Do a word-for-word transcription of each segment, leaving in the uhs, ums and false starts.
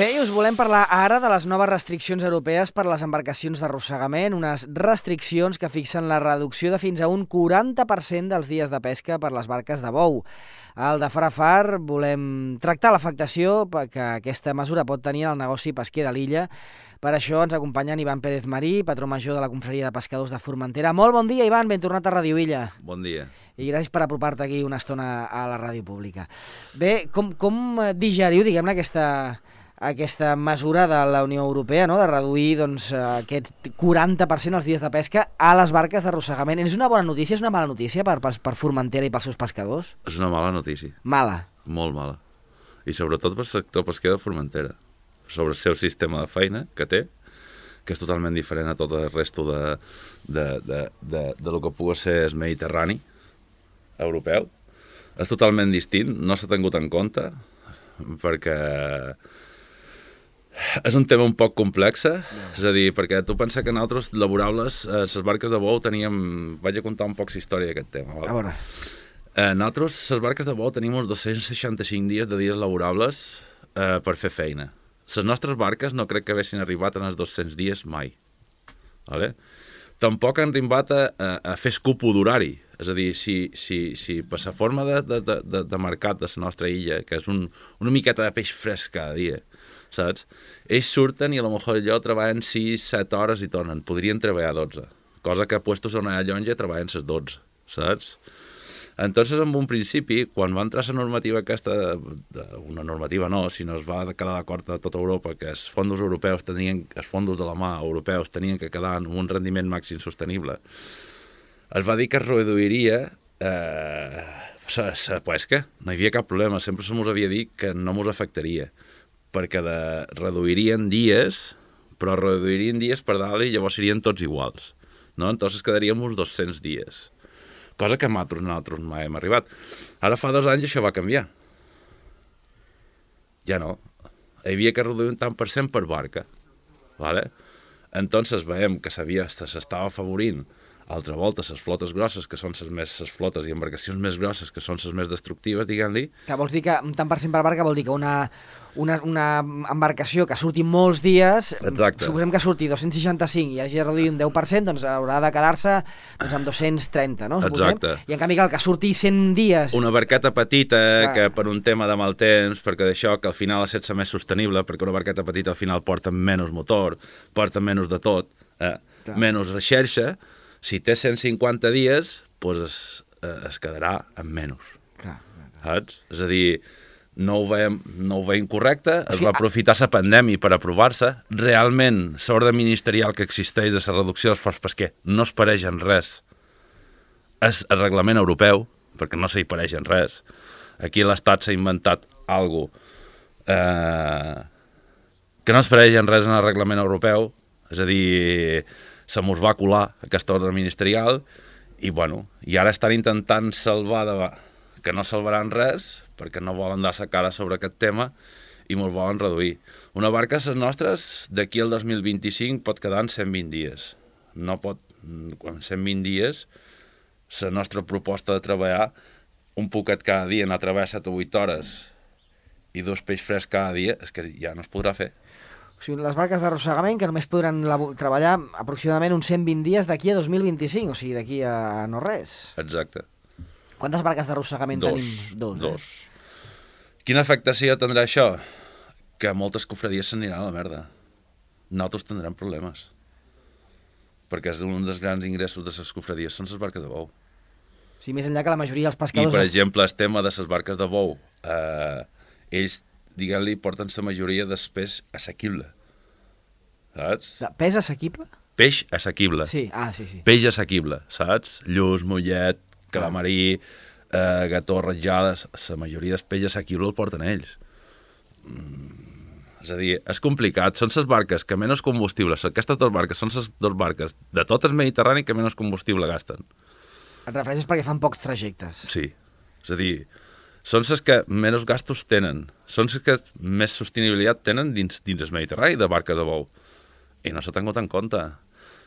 Bé, us volem parlar ara de les noves restriccions europees per a les embarcacions d'arrossegament, unes restriccions que fixen la reducció de fins a un quaranta per cent dels dies de pesca per les barques de bou. Al de Far a Far volem tractar l'afectació que aquesta mesura pot tenir al negoci pesquer de l'illa. Per això ens acompanyen Ivan Pérez Marí, patró major de la Confraria de Pescadors de Formentera. Molt bon dia, Ivan, ben tornat a Ràdio Illa. Bon dia. I gràcies per apropar-te aquí una estona a la ràdio pública. Bé, com, com digeriu, diguem-ne, aquesta... aquesta mesura de la Unió Europea, no?, de reduir doncs, aquest quaranta per cent els dies de pesca a les barques d'arrossegament. És una bona notícia, és una mala notícia per, per, per Formentera i pels seus pescadors? És una mala notícia. Mala? Molt mala. I sobretot pel sector pesquer de Formentera, sobre el seu sistema de feina que té, que és totalment diferent a tot el resto de, de, de, de, de lo que pugui ser el Mediterrani europeu. És totalment distint, no s'ha tingut en compte, perquè és un tema un poc complex, yeah. És a dir, perquè tu pensa que nosaltres laborables, eh, les barques de bou teníem... Vaig a contar un poc la història d'aquest tema. Val? A veure. Eh, nosaltres, les barques de bou, tenim uns dos-cents seixanta-cinc dies de dies laborables eh, per fer feina. Les nostres barques no crec que haguessin arribat en els dos-cents dies mai. Vale? Tampoc han arribat a, a, a fer escupo d'horari. És a dir, si, si, si per la forma de, de, de, de mercat de la nostra illa, que és un, una miqueta de peix fresc cada dia, saps? Ells surten i a lo millor allò treballen sis set hores i tornen. Podrien treballar dotze. Cosa que puestos a una llonja treballen les dotze, saps? Entonces, en un principi, quan va entrar la normativa aquesta, una normativa no, sinó es va quedar d'acord a tota Europa que els fons europeus tenien, els fons de la mà europeus tenien que quedar en un rendiment màxim sostenible, es va dir que es reduiria eh, la pesca. No hi havia cap problema. Sempre se mos havia dit que no mos afectaria, perquè de, reduirien dies, però reduirien dies per dalt i llavors serien tots iguals. No? Entonces quedaríem uns dos-cents dies. Cosa que nosaltres, nosaltres mai hem arribat. Ara fa dos anys això va canviar. Ja no. Hi havia que reduir un tant per cent per barca. Vale? Entonces veiem que s'estava afavorint altra volta les flotes grosses, que són les més les flotes i embarcacions més grosses, que són les més destructives, diguem-li. Que vols dir que un tant per cent per barca vol dir que una, una, una embarcació que surti molts dies, exacte, suposem que surti dos-cents seixanta-cinc i hagi de reduir un deu per cent, doncs haurà de quedar-se doncs, amb dos-cents trenta, no? Suposem. Exacte. I en canvi que el que surti cent dies... Una barqueta petita, ah. que per un tema de mal temps, perquè d'això que al final ha de ser més sostenible, perquè una barqueta petita al final porta menys motor, porta menys de tot, eh? menys recerca. Si té cent cinquanta dies, doncs es, es quedarà amb menys. Clar, clar. Saps? És a dir, no ho veiem, no ho veiem correcte, o sigui, es va aprofitar la pandèmia per aprovar-se. Realment, l'ordre ministerial que existeix de la reducció d'esforç pesquer no es pareix en res. És el reglament europeu, perquè no s'hi pareix en res. Aquí l'Estat s'ha inventat alguna cosa eh, que no es pareix en res en el reglament europeu, és a dir... se mos va colar aquesta ordre ministerial i, bueno, i ara estan intentant salvar, de... que no salvaran res, perquè no volen dar la cara sobre aquest tema i mos volen reduir. Una barca, les nostres, d'aquí al dos mil vint-i-cinc pot quedar en cent vint dies. No pot, en cent vint dies, la nostra proposta de treballar un poquet cada dia, anar a treballar set o vuit hores i dos peix frescs cada dia, és que ja no es podrà fer. O sigui, les barques d'arrossegament que només podran treballar aproximadament uns cent vint dies d'aquí a dos mil vint-i-cinc, o sigui, d'aquí a no res. Exacte. Quantes barques d'arrossegament tenim? Dos. Dos. Eh? Quina afectació tindrà això? Que moltes cofradies s'aniran a la merda. Nosaltres tindrem problemes. Perquè és un dels grans ingressos de les cofradies són les barques de bou. Sí, més enllà que la majoria dels pescadors... I, per exemple, el tema de les barques de bou, eh, ells diguem-li, porten la majoria del peix assequible. Saps? De peix assequible? Peix assequible. Sí, ah, sí, sí. Peix assequible, saps? Lluç, mollet, calamarí, eh, gató, ratjades, la majoria del peix assequible el porten ells. Mm, és a dir, és complicat. Són les barques que menys combustible, aquestes dues barques són les dues barques de tot el Mediterrani que menys combustible gasten. Et refereixes perquè fan pocs trajectes? Sí, és a dir... són les que menys gastos tenen, són les que més sostenibilitat tenen dins, dins el Mediterrani de barques de bou. I no s'ha tingut en compte.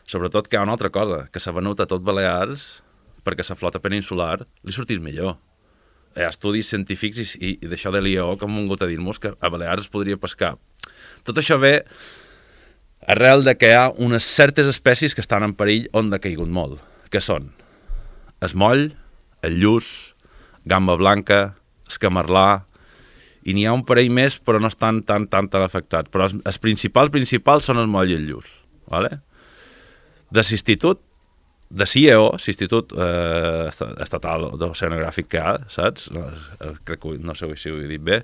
Sobretot que hi ha una altra cosa, que s'ha venut a tot Balears perquè la flota peninsular li sortís millor. Hi ha estudis científics i, i, i d'això de l'I E O que han vingut a dir-nos que a Balears es podria pescar Tot això ve arrel de que hi ha unes certes espècies que estan en perill on ha caigut molt, que són el moll, el lluç, gamba blanca, el camarlà, i n'hi ha un parell més, però no estan tan, tan, tan afectats. Però els, els principals, principals són el moll i el lluç. ¿Vale? De l'Institut, de C I E O, l'Institut eh, Estatal d'Oceanogràfic que hi ha, saps? No, crec que no sé si ho he dit bé.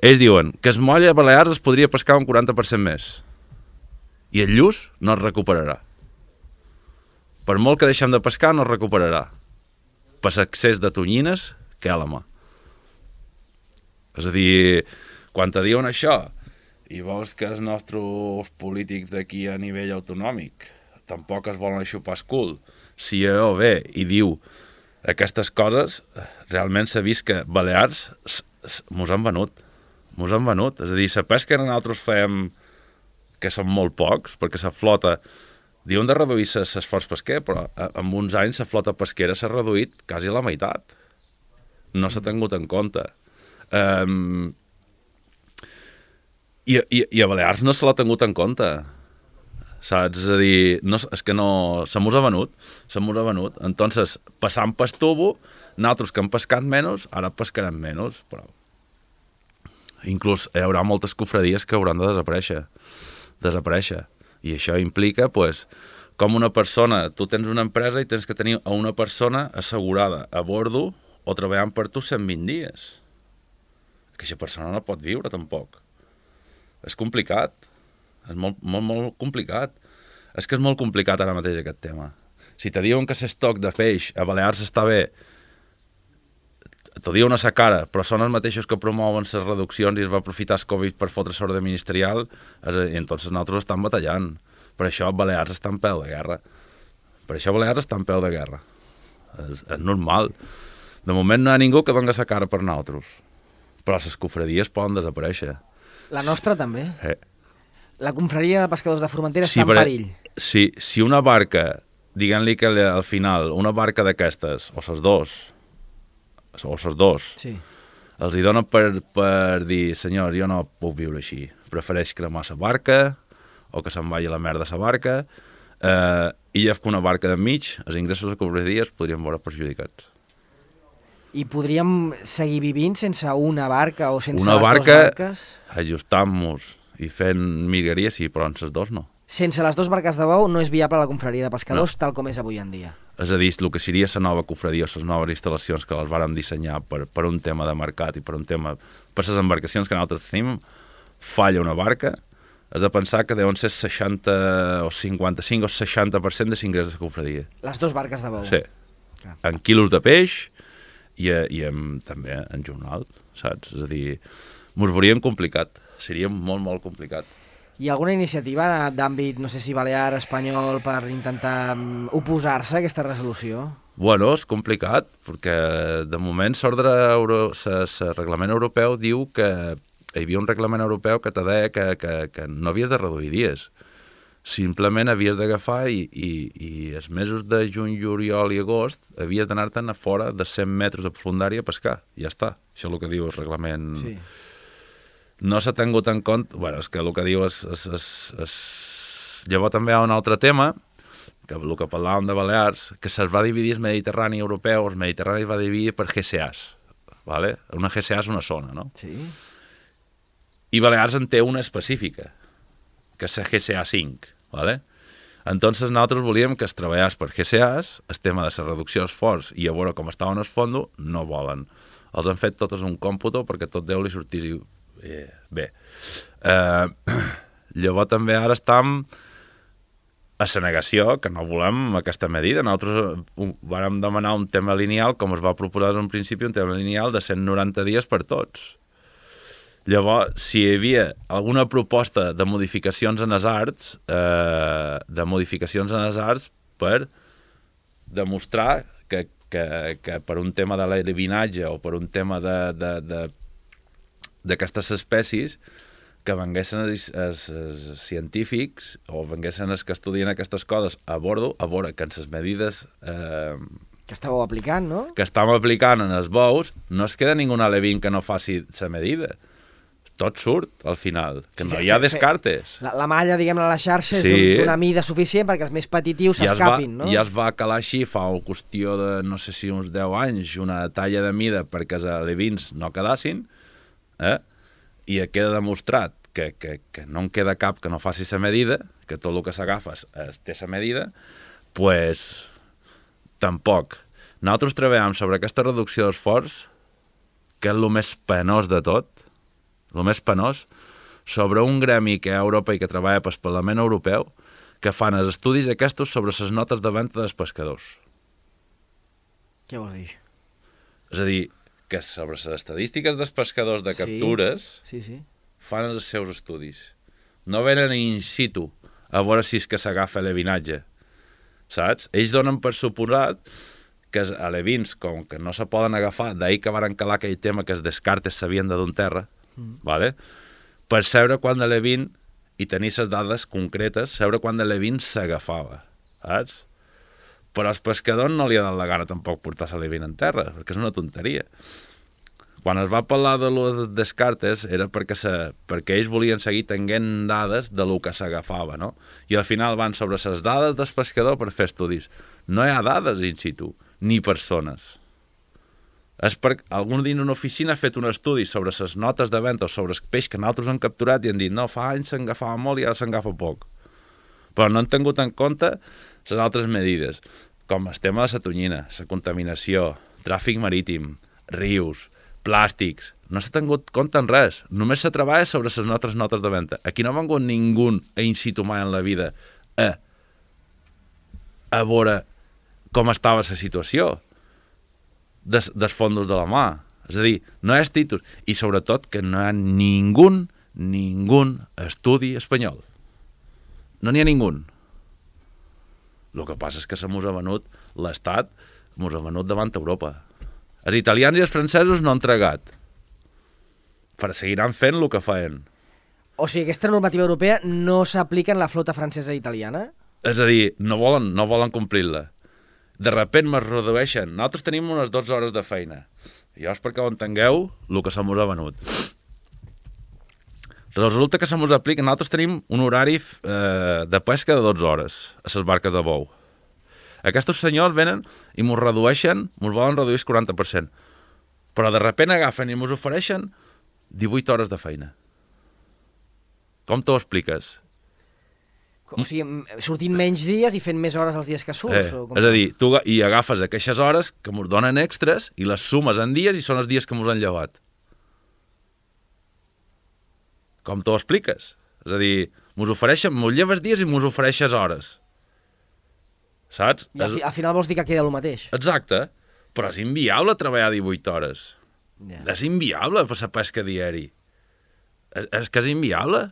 Ells diuen que el moll a Balears es podria pescar un quaranta per cent més i el lluç no es recuperarà. Per molt que deixem de pescar, no es recuperarà. Per l'excés de tonyines que hi ha a la mà. És a dir, quan te diuen això i veus que els nostres polítics d'aquí a nivell autonòmic tampoc es volen xupar el cul, si C I E O ve i diu aquestes coses, realment s'ha vist que Balears mos han venut. Mos han venut. És a dir, la pesca que nosaltres fem, que són molt pocs, perquè la flota, diuen de reduir l'esforç pesquer, però en uns anys la flota pesquera s'ha reduït quasi a la meitat. No s'ha tingut en compte. Um, i, i, i a Balears no se l'ha tingut en compte, saps? És a dir, no, és que no, se mos ha venut, se mos ha venut. Entonces, passant pel tubo, nosaltres que hem pescat menys, ara pescarem menys, però inclús hi haurà moltes cofradies que hauran de desaparèixer, desaparèixer. I això implica, pues, com una persona, tu tens una empresa i tens que tenir a una persona assegurada a bordo o treballant per tu cent vint dies. Aquesta persona no pot viure, tampoc. És complicat. És molt, molt, molt complicat. És que és molt complicat ara mateix aquest tema. Si te diuen que l'estoc de peix a Balears està bé, t'ho diuen a sa cara, però són els mateixos que promouen les reduccions i es va aprofitar el Covid per fotre l'ordre ministerial, i entonces nosaltres estem batallant. Per això Balears està en peu de guerra. Per això Balears està en peu de guerra. És, és normal. De moment no hi ha ningú que doni sa cara per nosaltres. Però les cofradies poden desaparèixer. La nostra també. Eh. La confraria de pescadors de Formentera sí, està en perill. Si, si una barca, diguem-li que al final, una barca d'aquestes, o ses dos, o ses dos, sí, els hi donen per, per dir, senyors, jo no puc viure així. Prefereix cremar la barca, o que se'n vagi a la merda la barca, eh, i ja que una barca d'enmig, els ingressos de cofradies podrien veure perjudicats. I podríem seguir vivint sense una barca o sense una les barca, dues barques? ajustant-nos i fent migreria, sí, però en les dos no. Sense les dues barques de bou no és viable la confraria de pescadors no. Tal com és avui en dia. És a dir, el que seria la nova confraria o les noves instal·lacions que les vàrem dissenyar per, per un tema de mercat i per un tema... per les embarcacions que nosaltres tenim, falla una barca, has de pensar que deuen ser seixanta o cinquanta-cinc o seixanta per cent de l'ingrés de confraria. Les dues barques de bou. Sí. Clar. En quilos de peix i, i en, també en jornal, saps? És a dir, mos veuríem complicat, seria molt, molt complicat. Hi ha alguna iniciativa d'àmbit, no sé si balear, espanyol, per intentar oposar-se a aquesta resolució? Bueno, és complicat, perquè de moment l'ordre euro, el reglament europeu diu que hi havia un reglament europeu que te deia que, que, que no havies de reduir dies. Simplement havies d'agafar i, i, i els mesos de juny, juliol i agost havies d'anar-te'n a fora de cent metres de profundària a pescar. Ja està. Això és el que diu el reglament. Sí. No s'ha tingut en compte... Bueno, és que el que diu és... és, és, és... Llavors també hi ha un altre tema, que el que parlàvem de Balears, que se'ls va dividir el Mediterrani europeu, el Mediterrani es va dividir per G C As. ¿Vale? Una G C A és una zona, no? Sí. I Balears en té una específica, que és la G C A cinc. ¿Vale? Entonces nosaltres volíem que es treballés per G C As, el tema de la reducció d'esforç i a veure com estaven els fondos, no volen. Els han fet totes un còmputo perquè tot deu li sortir eh, bé. Eh, llavors també ara estem a la negació, que no volem aquesta medida. Nosaltres vàrem demanar un tema lineal, com es va proposar en un principi, un tema lineal de cent noranta dies per tots. Llavors, si hi havia alguna proposta de modificacions en els arts, eh, de modificacions en els arts per demostrar que, que, que per un tema de l'eliminatge o per un tema d'aquestes espècies, que venguessin els, els, els científics o venguessin els que estudien aquestes coses a bordo, a veure que en les medides... Eh, que estàveu aplicant, no? Que estàvem aplicant en els bous, no es queda ningú alevín que no faci la medida. tot surt, al final, que no hi ha descartes. La, la malla, diguem-ne, a la xarxa Sí. és d'una mida suficient perquè els més petitius s'escapin, no? Ja es va calar així fa una qüestió de, no sé si uns deu anys, una talla de mida perquè els alevins no quedassin, eh? I queda demostrat que, que, que no en queda cap que no faci la medida, que tot el que s'agafes té la medida, doncs pues, tampoc. Nosaltres treballem sobre aquesta reducció d'esforç, que és el més penós de tot, el més penós, sobre un gremi que hi ha a Europa i que treballa pel Parlament Europeu, que fan els estudis aquests sobre les notes de venda dels pescadors. Què vols dir? És a dir, que sobre les estadístiques dels pescadors de captures sí, sí, sí. fan els seus estudis. No venen in situ a veure si és que s'agafa l'alevinatge, saps? Ells donen per suposat que els alevins, com que no se poden agafar, d'ahir que van calar aquell tema que els descartes s'havien de d'un terra, mm. vale? Per saber quan d'alevin i tenir les dades concretes, saber quan d'alevin s'agafava, saps? Però als pescadors no li ha dat la gana tampoc portar l'alevin en terra, perquè és una tonteria. Quan es va parlar de les descartes era perquè, se, perquè ells volien seguir tenint dades de lo que s'agafava, no? I al final van sobre les dades del pescador per fer estudis. No hi ha dades in situ, ni persones. És perquè algú dins d'una oficina ha fet un estudi sobre les notes de venda o sobre el peix que nosaltres hem capturat i han dit no, fa anys s'agafava molt i ara s'agafa poc. Però no han tingut en compte les altres medides, com el tema de la tonyina, la contaminació, tràfic marítim, rius, plàstics. No s'ha tingut compte en res. Només se treballa sobre les nostres notes de venda. Aquí no ha vingut ningú a in situ mai en la vida a, a veure com estava la situació des, dels fondos de la mà. És a dir, no hi ha títols. I sobretot que no hi ha ningú, ningú estudi espanyol. No n'hi ha ningú. El que passa és que se mos ha venut l'Estat, mos ha venut davant Europa. Els italians i els francesos no han entregat. Però seguiran fent el que feien. O sigui, aquesta normativa europea no s'aplica en la flota francesa i italiana? És a dir, no volen, no volen complir-la. De repent es redueixen. Nosaltres tenim unes dotze hores de feina. I llavors, perquè ho entengueu, el que se mos ha venut. Resulta que se mos aplica... Nosaltres tenim un horari eh, de pesca de dotze hores a les barques de bou. Aquests senyors venen i mos redueixen, mos volen reduir el quaranta per cent. Però de repent agafen i mos ofereixen divuit hores de feina. Com t'ho expliques? O sigui, sortint menys dies i fent més hores els dies que surts? Eh, o com... És a dir, tu i agafes aquestes hores que mos donen extras i les sumes en dies i són els dies que mos han llevat. Com t'ho expliques? És a dir, mos ofereixen, mos lleves dies i mos ofereixes hores. Saps? I al, fi, al final vols dir que queda el mateix. Exacte, però és inviable treballar divuit hores. Yeah. És inviable per la pesca diari. És, és que és inviable.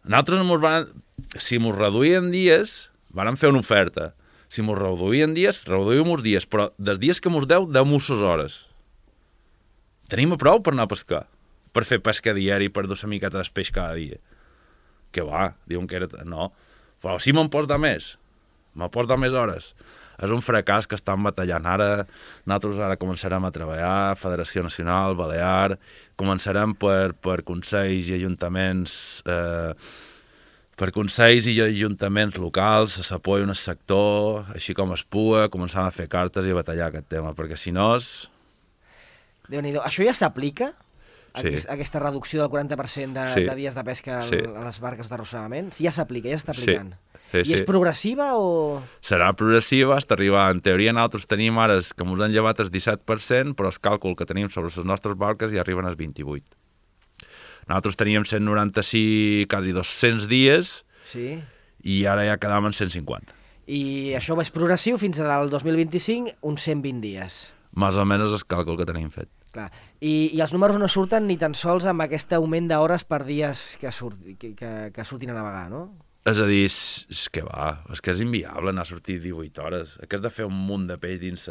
Nosaltres, mos van, si mos reduïen dies, vàrem fer una oferta. Si mos reduïen dies, reduïm uns dies, però dels dies que mos deu, deu-mos ses hores. Tenim a prou per anar a pescar, per fer pesca diari, per dur una miqueta d'espeix cada dia. Que va, diuen que era... No, però si me'n pots dar més. Me pots dar més hores. És un fracàs que estan batallant ara. Nosaltres ara començarem a treballar, Federació Nacional, Balear, començarem per, per consells i ajuntaments, eh, per consells i ajuntaments locals, a s'apoyi un sector, així com es pugui, començant a fer cartes i a batallar aquest tema, perquè si no és... Déu-n'hi-do. Això ja s'aplica? Sí. Aquest, aquesta reducció del quaranta per cent de, sí. de dies de pesca sí. a les barques d'arrossegament? Sí, ja s'aplica, ja s'està aplicant. Sí. Sí, I sí. és progressiva o...? Serà progressiva, hasta arribar. En teoria, nosaltres tenim ara que ens han llevat el disset per cent, però el càlcul que tenim sobre les nostres barques ja arriben als vint-i-vuit. Nosaltres teníem cent noranta-sis, quasi dos-cents dies, sí. I ara ja quedàvem en cent cinquanta. I això és progressiu fins al dos mil vint-i-cinc, uns cent vint dies. Més o menys el càlcul que tenim fet. Clar. I, I els números no surten ni tan sols amb aquest augment d'hores per dies que, surt, que, que, que surtin a navegar, no? És a dir, és, és que va, és que és inviable anar a sortir divuit hores. Que has de fer un munt de peix dins...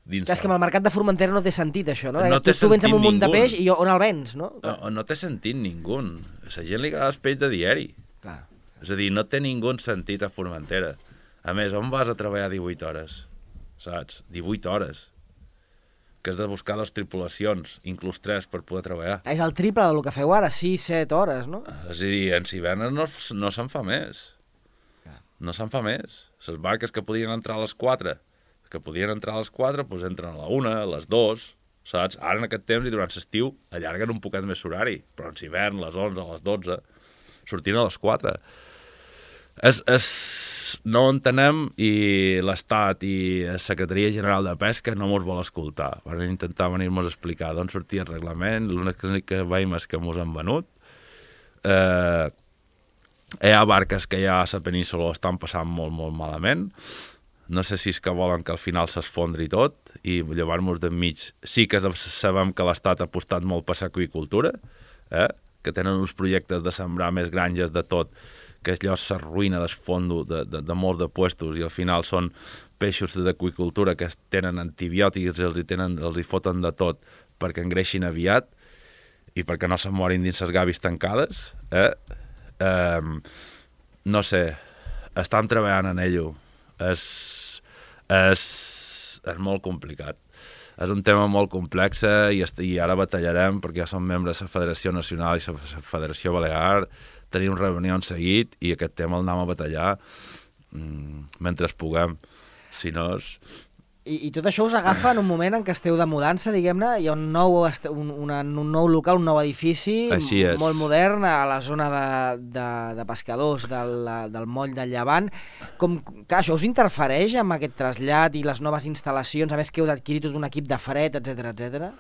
dins Clar, és que amb el mercat de Formentera no té sentit, això, no? No tu, tu vens amb un munt ningú. de peix i on el vens, no? No, no té sentit ningú. A la gent li agrada el peix de diari. Clar. És a dir, no té ningú sentit a Formentera. A més, on vas a treballar divuit hores? Saps? divuit hores. que has de buscar dues tripulacions, inclús tres, per poder treballar. És el triple del que feu ara, sis set hores, no? És a dir, en Cibernes no, no se'n fa més. No se'n fa més. Les barques que podien entrar a les quatre, que podien entrar a les quatre, doncs entren a la una, a les dues, saps? Ara en aquest temps i durant l'estiu allarguen un poquet més l'horari, però en hivern, a les onze, a les dotze, sortint a les quatre. És, és, no ho entenem i l'Estat i la Secretaria General de Pesca no mos vol escoltar. Van intentar venir-nos a explicar d'on sortia el reglament, l'únic que veiem és que mos han venut. Eh, hi ha barques que ja a la península estan passant molt, molt malament. No sé si és que volen que al final s'esfondri tot i llevar-nos d'enmig. Sí que sabem que l'Estat ha apostat molt per l'aqüicultura, eh? Que tenen uns projectes de sembrar més granges de tot, que allò s'arruïna del fondo de, de, de molts de puestos i al final són peixos d'aqüicultura que tenen antibiòtics i els hi, tenen, els hi foten de tot perquè engreixin aviat i perquè no se'n morin dins les gavis tancades. Eh? Eh, no sé, estan treballant en ello. És, és, és molt complicat. És un tema molt complex i, i ara batallarem perquè ja som membres de la Federació Nacional i la Federació Balear, tenim reunions seguit i aquest tema el anem a batallar mm, mentre puguem. Si no és... I, I tot això us agafa en un moment en què esteu de mudança, diguem-ne, hi ha un nou, un, una, un nou local, un nou edifici molt modern a la zona de, de, de pescadors del, del moll del Llevant. Com, clar, això us interfereix amb aquest trasllat i les noves instal·lacions, a més que heu d'adquirir tot un equip de fred, etcètera, etcètera?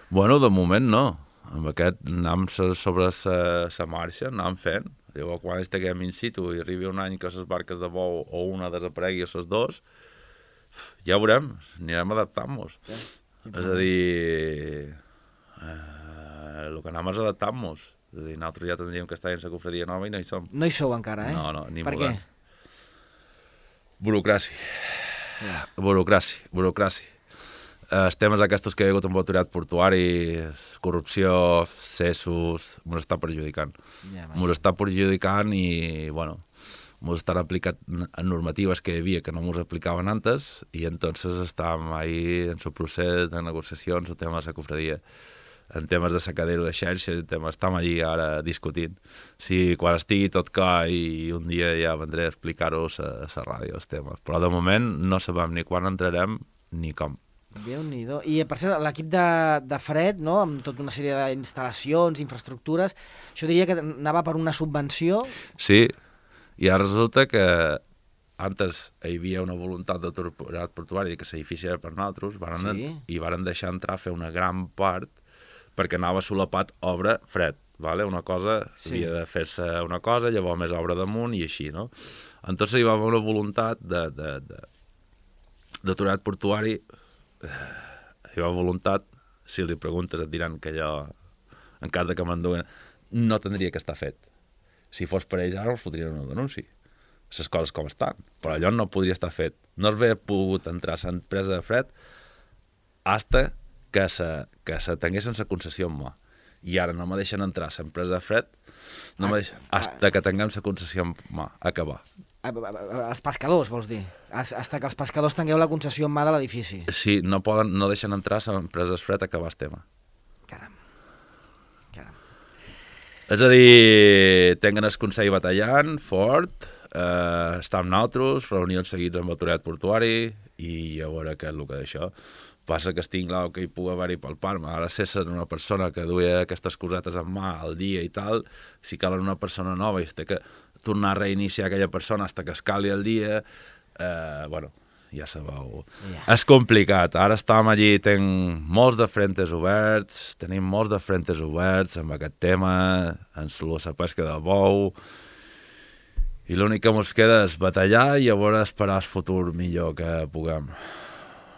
Bueno, de moment no. Amb aquest anem sobre la marxa, anem fent. Llavors, quan estiguem in situ i arribi un any que les barques de bou o una desaparegui a les dues, ja veurem, anirem adaptant-nos. Ja. És a dir, eh, el que anem és adaptant-nos. És a dir, nosaltres ja tindríem que estar en la cofradia nova i no hi som. No hi sou encara, eh? No, no, ni per modern. Què? Burocràcia. Ja. Burocràcia, burocràcia. Els temes aquests que hi ha hagut amb l'autoritat portuari, corrupció, cessos, ens està perjudicant. Ja, ens està perjudicant i, bueno, ens estan aplicant normatives que hi havia que no ens aplicaven antes i entonces estàvem ahí en el procés de negociacions, el tema de la cofradia, en temes de sacadero de xarxa, temes, estem allí ara discutint. Si quan estigui tot clar i un dia ja vendré a explicar-ho a la ràdio, els temes. Però de moment no sabem ni quan entrarem ni com. Déu-n'hi-do. I per cert, l'equip de, de fred, no?, amb tota una sèrie d'instal·lacions, infraestructures, això diria que anava per una subvenció? Sí, i ara resulta que antes hi havia una voluntat d'autoritat portuària que l'edifici era per nosaltres, varen, sí. I varen deixar entrar a fer una gran part perquè anava solapat obra fred. Vale? Una cosa, sí. Havia de fer-se una cosa, llavors més obra damunt i així, no? Entonces hi va haver una voluntat de, de, de, d'autoritat portuari, hi va voluntat, si li preguntes et diran que allò, en cas de que m'enduguen, no tindria que estar fet. Si fos per ells ara els fotrien un denunci. Les coses com estan. Però allò no podria estar fet. No es havia pogut entrar a l'empresa de fred hasta que se, que se tinguessin la concessió en mà. I ara no me deixen entrar a l'empresa de fred no me deixen, hasta que tinguem la concessió en mà. Acabar. Els pescadors, vols dir? Hasta que els pescadors tingueu la concessió en mà de l'edifici. Sí, no poden, no deixen entrar a l'empresa de fred a acabar el tema. Caram. Caram. És a dir, tenen el Consell batallant, fort, eh, està amb nosaltres, reunions seguits amb l'autoritat portuari i a veure què és el que d'això. Passa que estic clar que hi pugui haver-hi pel Parma. Ara si és una persona que duia aquestes cosetes en mà al dia i tal, si cal una persona nova i es té que tornar a reiniciar aquella persona fins que es cali el dia, eh, bueno, ja sabeu. Yeah. És complicat. Ara estem allí, tenim molts de frentes oberts, tenim molts de frentes oberts amb aquest tema, en la pesca de bou, i l'únic que ens queda és batallar i a veure esperar el futur millor que puguem.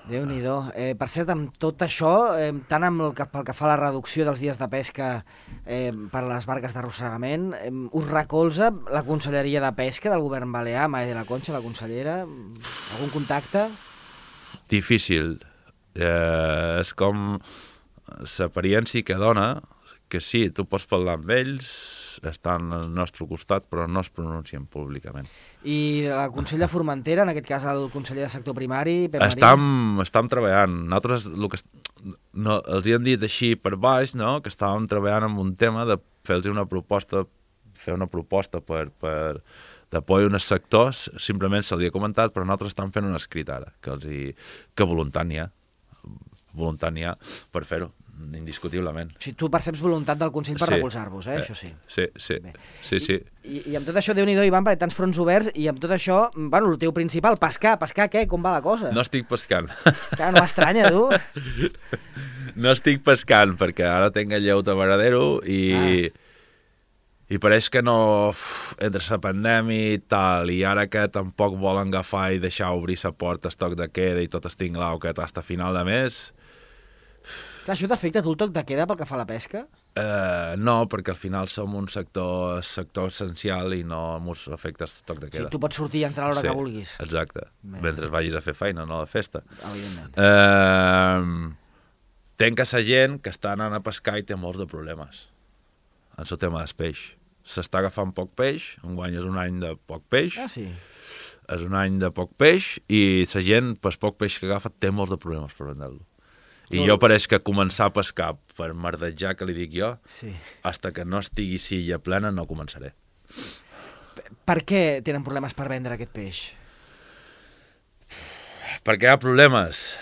Déu-n'hi-do. Eh, per cert, amb tot això, eh, tant amb el que, pel que fa a la reducció dels dies de pesca eh, per a les barques d'arrossegament, eh, us recolza la Conselleria de Pesca del Govern Balear, Maia de la Concha, la consellera? Algun contacte? Difícil. Eh, és com l'experiència que dona, que sí, tu pots parlar amb ells, estan al nostre costat, però no es pronuncien públicament. I la Consell de Formentera, en aquest cas el conseller de sector primari, Pep Marín? Estam, estam treballant. Nosaltres, el que, no, els hi han dit així per baix, no?, que estàvem treballant en un tema de fer-los una proposta, fer una proposta per, per d'apoyo en els sectors, simplement se li ha comentat, però nosaltres estem fent un escrit ara, que, els hi, que voluntat n'hi ha, voluntat n'hi ha per fer-ho, indiscutiblement. O sigui, tu perceps voluntat del Consell per Sí. recolzar-vos, eh? Eh, Això sí. Sí, sí, Bé. sí, sí. I, i, I amb tot això, Déu-n'hi-do, Ivan, perquè tants fronts oberts, i amb tot això, bueno, el teu principal, pescar, pescar què? Com va la cosa? No estic pescant. Clar, no m'estranya, tu. No estic pescant, perquè ara tinc el lleu de Varadero i... Ah. I pareix que no, uf, entre la pandèmia i tal, i ara que tampoc volen agafar i deixar obrir la porta, estoc de queda i tot estinglau que hasta final de mes... Clar, això t'afecta tu el toc de queda pel que fa a la pesca? Eh, no, perquè al final som un sector, sector essencial i no ens afecta el toc de Sí, queda. tu pots sortir i entrar a l'hora Sí, que vulguis. exacte, Bé. mentre vagis a fer feina, no a la festa. Evidentment. Eh, tenc que la gent que està anant a pescar i té molts de problemes en el tema del peix. S'està agafant poc peix, enguany és un any de poc peix, Ah, sí? és un any de poc peix i la gent, per poc peix que agafa, té molts de problemes per vendre-lo. I jo pareix que començar a pescar per merdejar, que li dic jo, Sí. hasta que no estigui silla plena no començaré. Per què tenen problemes per vendre aquest peix? Perquè hi ha problemes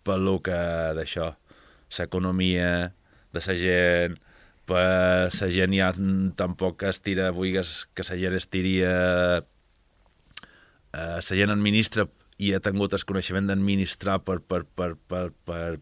per lo que d'això, l'economia de la gent, per la gent ja tampoc es tira, vulguis que la gent es tiri a... La gent administra i ha tingut el coneixement d'administrar per, per, per, per, per,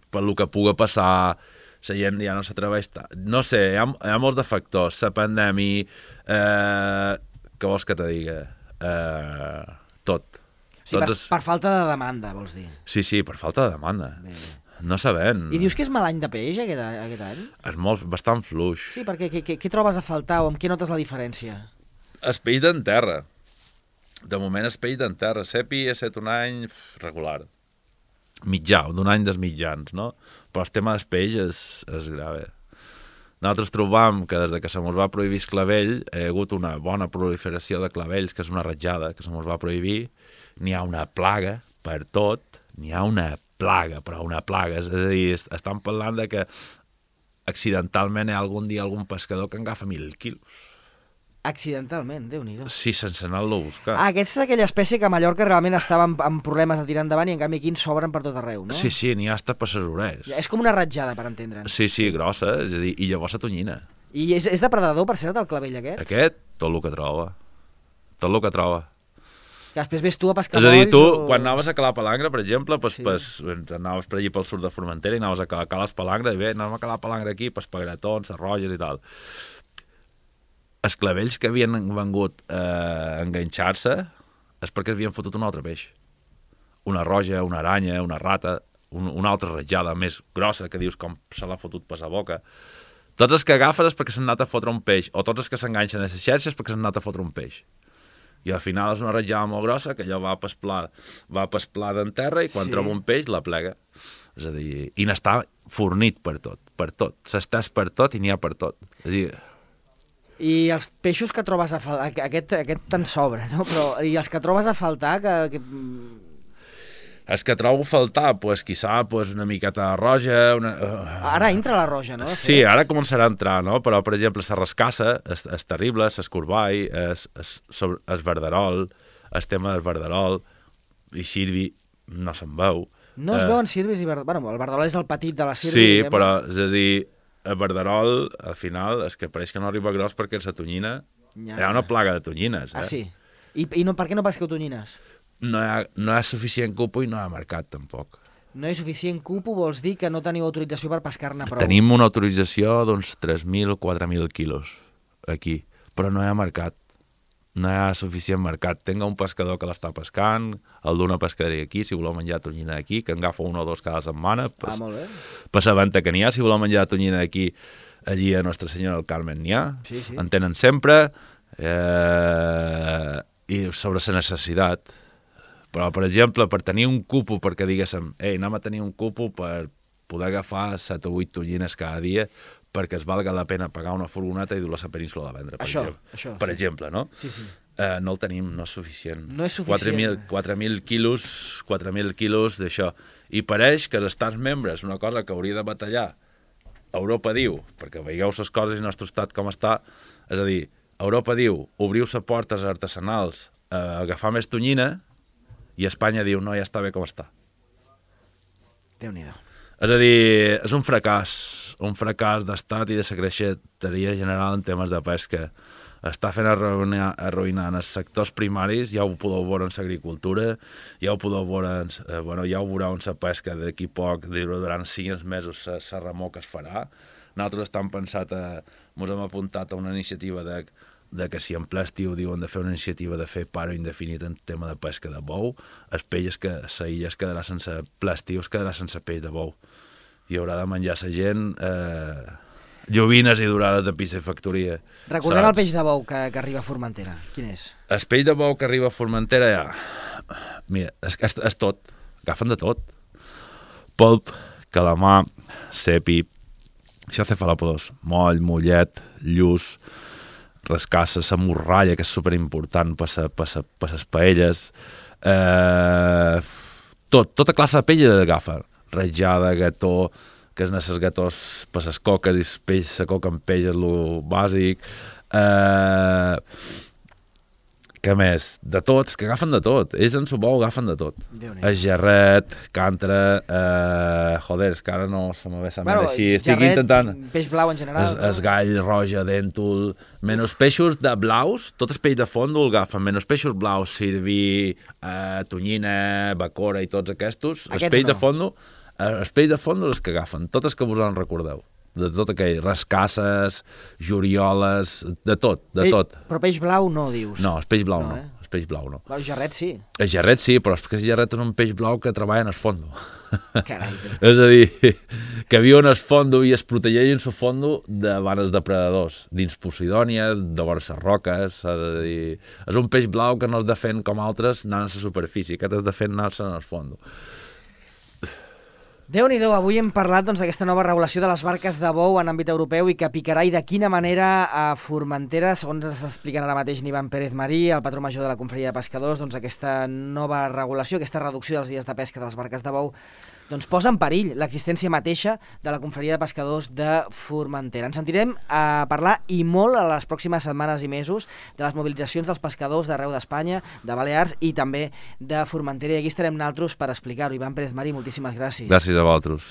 per lo que pugui passar, la gent ja no s'atreveix... No sé, hi ha, hi ha molts de factors, la pandèmia, eh, què vols que te diga? Eh, tot. Sí, per, Tots... per falta de demanda, vols dir? Sí, sí, per falta de demanda. Bé, bé. No sabem. I dius que és mal any de peix aquest, aquest any? És molt, bastant fluix. Sí, perquè què, què, què trobes a faltar o amb què notes la diferència? El peix d'en terra. De moment el peix d'en terra. Sepi ha estat un any regular. Mitjà, d'un any dels mitjans, no? Però el tema del peix és, és grave. Nosaltres trobam que des que se mos va prohibir el clavell hi ha hagut una bona proliferació de clavells, que és una ratjada, que se mos va prohibir. N'hi ha una plaga per tot, n'hi ha una plaga, però una plaga. És a dir, estan parlant de que accidentalment hi ha algun dia algun pescador que agafa mil quilos. Accidentalment, Déu-n'hi-do. Sí, sense anar-lo a buscar. Ah, aquesta és aquella espècie que a Mallorca realment estava amb, amb problemes de tirar endavant i en canvi aquí en sobren per tot arreu, no? Sí, sí, n'hi ha hasta per les orelles. Ja, és com una ratjada, per entendre'ns. Sí, sí, grossa, és a dir, i llavors la tonyina. I és, és depredador, per cert, el clavell aquest? Aquest, tot el que troba. Tot el que troba. Que després ves tu a pescar És a dir, molls tu, o... quan anaves a calar palangre, per exemple, pues, Sí. pues, anaves per allí pel sud de Formentera i anaves a calar, calar palangre, i bé, anàvem a calar palangre aquí, pues, pagratons, arrolles i tal. Els clavells que havien vengut eh, a enganxar-se és perquè havien fotut un altre peix. Una roja, una aranya, una rata, un, una altra ratjada més grossa que dius com se l'ha fotut per la boca. Tots els que agafes és perquè s'han anat a fotre un peix, o tots els que s'enganxen a les xarxes perquè s'han anat a fotre un peix. I al final és una ratjada molt grossa que allò va pel pla, va pel pla d'en terra i quan Sí. troba un peix la plega. És a dir, i n'està fornit per tot, per tot. S'estàs per tot i n'hi ha per tot. És a dir, I els peixos que trobes a faltar, aquest, aquest te'n sobra, no? Però, i els que trobes a faltar, que... que... els que trobo a faltar, pues, quizà pues, una miqueta roja... Una... Ara entra la roja, no? de Sí, fet? ara començarà a entrar, no? Però, per exemple, la rascassa és, és terrible, l'escorball, és, és, sobre, és verderol, el tema del verderol, i xirvi no se'n veu. No es Eh, veuen cirbis i verderol. Bueno, el verderol és el petit de la cirbi. Sí, diguem-ne. però, és a dir, el verderol, al final, és que pareix que no arriba gros perquè la tonyina... Ja. Hi ha una plaga de tonyines, eh? Ah, sí? I, i no, per què no pesqueu tonyines? No hi ha, no hi ha suficient cupo i no hi ha mercat, tampoc. No hi ha suficient cupo, vols dir que no teniu autorització per pescar-ne prou? Tenim una autorització d'uns tres mil o quatre mil quilos aquí, però no hi ha mercat. No hi ha suficient mercat. Tenga un pescador que l'està pescant, el d'una pescaderia aquí, si voleu menjar tonyina aquí, que en agafa un o dos cada setmana, Ah, molt bé. per la venta que n'hi ha. Si voleu menjar tonyina aquí, allí a Nostra Senyora del Carmen n'hi ha. Sí, sí. En tenen sempre. Eh, I sobre la necessitat. Però, per exemple, per tenir un cupo, perquè diguéssim, ei, anem a tenir un cupo per poder agafar set o vuit tonyines cada dia, perquè es valga la pena pagar una furgoneta i dur-la a la península de vendre, per això, exemple. Això, per sí. exemple, no? Sí, sí. Uh, no el tenim, no és suficient. No és suficient. quatre mil quilos, quatre mil quilos d'això. I pareix que els estats membres, una cosa que hauria de batallar, Europa diu, perquè veieu les coses i el nostre estat com està, és a dir, Europa diu, obriu les portes artesanals a agafar més tonyina, i Espanya diu, no, ja està bé com està. Déu-n'hi-do. És a dir, és un fracàs, un fracàs d'estat i de secretaria general en temes de pesca. Està fent arruïnar, arruïnar en els sectors primaris, ja ho podeu veure en l'agricultura, ja ho podeu veure, en, eh, bueno, ja ho veureu en la pesca d'aquí poc, durant cinc mesos la remor que es farà. Nosaltres estem pensat, a, ens hem apuntat a una iniciativa de, de que si en ple estiu diuen de fer una iniciativa de fer paro indefinit en tema de pesca de bou, els peixos que la illa es quedarà sense ple estiu, es quedarà sense peix de bou. I haurà de menjar la gent eh, llovines i durades de piscifactoria. Recordem saps? El peix de bou que, que arriba a Formentera. Quin és? El peix de bou que arriba a Formentera, ja... Mira, és, és, és tot. Agafen de tot. Polp, calamar, cepi, cefalòpodes, moll, mollet, lluç, rascassa, la morralla, que és superimportant per les paelles. Eh, tot, tota classe de pell agafa. Ratjada, gató, que és necessari gatós per les coques, i el peix, la coca amb peix és el bàsic. Eh, què més? De tot, és que agafen de tot. Ells en el bou agafen de tot. El gerret, cantre, eh, joder, és que ara no se me ve la bueno, així. Estic gerret, intentant... peix blau en general. Es, no? Es gall, roja, dèntol, menys peixos de blaus, tot el peix de fondo el agafen, menys peixos blaus, sirví, eh, tonyina, bacora i tots aquests. Els peix no. de fondo, els peix de fondo els que agafen, tots els que vos en recordeu. De tot aquell, rascasses, jorioles, de tot, de Pe tot. Però peix blau no, dius? No, el peix blau no, no. Eh? El peix blau no. El gerret sí. El gerret sí, però és que el gerret és un peix blau que treballa en el fondo. Carai. És a dir, que viu en el fondo i es protegeix en el fondo davant els depredadors, dins Posidònia, de vora les roques, és a dir, és un peix blau que no es defèn com altres anant a la superfície, aquest es defèn anant-se en el fondo. Déu-n'hi-do, avui hem parlat doncs, d'aquesta nova regulació de les barques de bou en àmbit europeu i que picarà i de quina manera a Formentera, segons ens expliquen ara mateix Ivan Pérez Marí, el patró major de la Confraria de Pescadors, doncs aquesta nova regulació, aquesta reducció dels dies de pesca de les barques de bou, doncs posa en perill l'existència mateixa de la Confraria de Pescadors de Formentera. Ens sentirem a parlar i molt a les pròximes setmanes i mesos de les mobilitzacions dels pescadors d'arreu d'Espanya, de Balears i també de Formentera. I aquí estarem naltros per explicar-ho. Ivan Pérez Marí, moltíssimes gràcies. Gràcies a vosaltres.